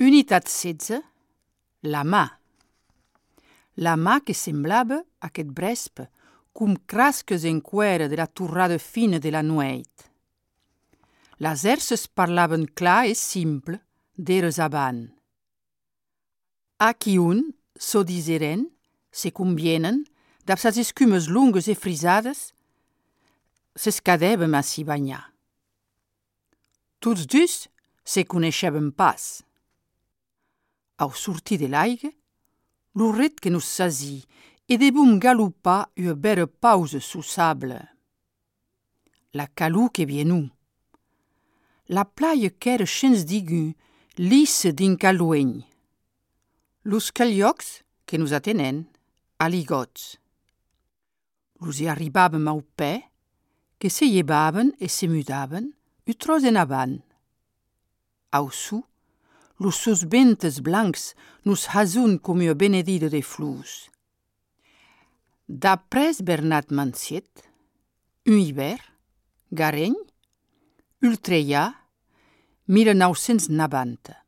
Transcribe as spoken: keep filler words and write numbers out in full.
Unitat setze. La mà. La mà que semblava, aquest brespre, com crasques en cuera de la torrada fina de la nueit. Les erces parlaven clar i simple, d'eres avant. Aquí un, so diseren, se convienen, dab sas escumes lungues e frisades, s'escadèvem a s'hi banyar. Tots dus se coneixèvem pas. Au sortir de l'aigua, lo ret que nos sasi e debum galopar una bera pausa su sable. La calor que vienu. La playa qu'era chens digu, lissa din calueny. Los caliocs que nos atenen, aligots. Los hi arribàvem au pè, que se llevaven e se mudaven, utros en avant. Au su, los sos ventes blancs nos hasun com una benedida de flors. D'après Bernat Manciet, un hivern, Gareny, Ultreia, mil nou-cents noranta.